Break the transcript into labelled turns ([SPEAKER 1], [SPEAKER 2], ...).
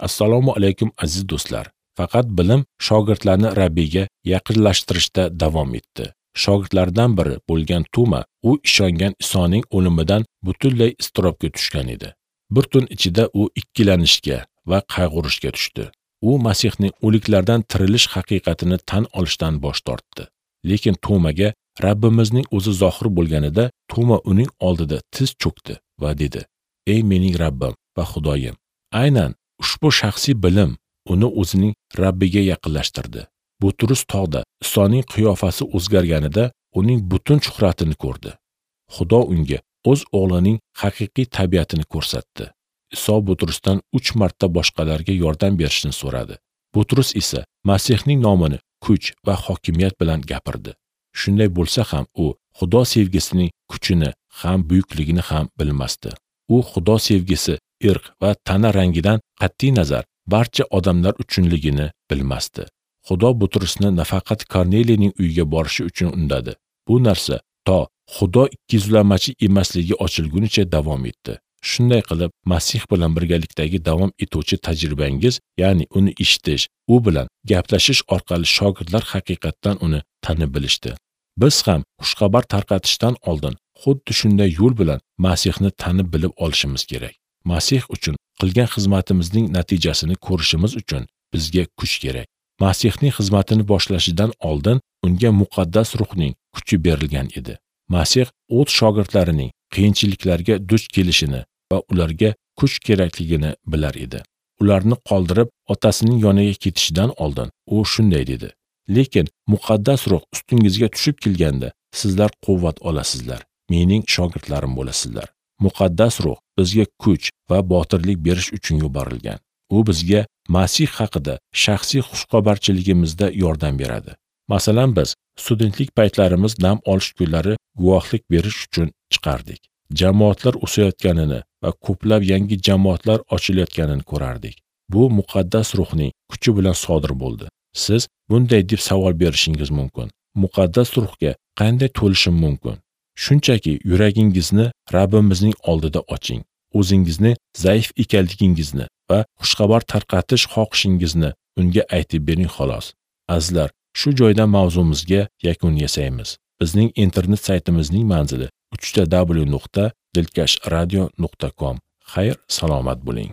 [SPEAKER 1] Assalomu alaykum aziz do'stlar. Faqat bilim shogirdlarni Rabbiyga yaqinlashtirishda davom etdi. Shogirdlardan biri bo'lgan Tuma u ishongan Isoning o'limidan butunlay iztirobga tushgan edi. Bir tun ichida u ikkilanishga va qayg'urishga tushdi. U Masihning o'liklardan tirilish haqiqatini tan olishdan bosh tortdi. Lekin Tumaga Rabbimizning o'zi zohir bo'lganida Tuma uning oldida tiz cho'kdi va dedi: "Ey mening Rabbim va Xudoyim!" Aynan ushbu shaxsiy bilim uni o'zining Rabbiga yaqinlashtirdi. Butrus tog'da Isoning qiyofasi o'zgarganida uning butun shuhratini ko'rdi. Xudo unga o'z o'g'lining haqiqiy tabiatini ko'rsatdi. Iso Butrusdan 3 marta boshqalarga yordam berishni so'radi. Butrus esa Masihning nomini kuch va hokimiyat bilan gapirdi. Shunday bo'lsa ham u Xudo sevgisining kuchini ham buyukligini ham bilmasdi. U Xudo sevgisi irq va tana rangidan qat'iy nazar barcha odamlar uchunligini bilmasdi. Xudo Butrusni nafaqat Korneliyning uyiga borishi uchun undadi. Bu narsa to Xudo ikkiyuzlamachi emasligi ochilgunicha davom etdi. Shunday qilib, Masih bilan birgalikdagi davom etuvchi tajribangiz, ya'ni uni eshitish, u bilan gaplashish orqali shogirdlar haqiqatdan uni tanib bilishdi. Biz ham xushxabar tarqatishdan oldin xuddi shunday yo'l bilan Masihni tanib bilib olishimiz kerak. Masih uchun qilgan xizmatimizning natijasini ko'rishimiz uchun bizga kuch kerak. Masihning xizmatini boshlashidan oldin unga muqaddas ruhning kuchi berilgan edi. Masih o'z shogirdlarining qiyinchiliklarga duch kelishini va ularga kuch kerakligini bilar edi. Ularni qoldirib otasining yoniga ketishidan oldin u shunday dedi: "Lekin muqaddas ruh ustingizga tushib kelganda sizlar quvvat olasizlar, mening shogirdlarim bo'lasizlar." Muqaddas ruh bizga kuch va botirlik berish uchun yuborilgan. U bizga Masih haqida shaxsiy xushxabarchiligimizda yordam beradi. Masalan, biz studentlik paytlarimiz dam olish kunlari guvohlik berish uchun chiqardik. Jamoatlar o'sayotganini va ko'plab yangi jamoatlar ochilayotganini ko'rardik. Bu muqaddas ruhning kuchi bilan sodir bo'ldi. Siz bunday deb savol berishingiz mumkin: muqaddas ruhga qanday to'lishim mumkin? Shunchaki yuragingizni Rabbimizning oldida oching. O'zingizni zaif ekanligingizni va xushxabar tarqatish xohishingizni unga aytib bering xolos. Azizlar, shu joyda mavzumizga yakun yasaymiz. Bizning internet saytimizning manzili www.dilkashradio.com. Xayr, salomat bo'ling.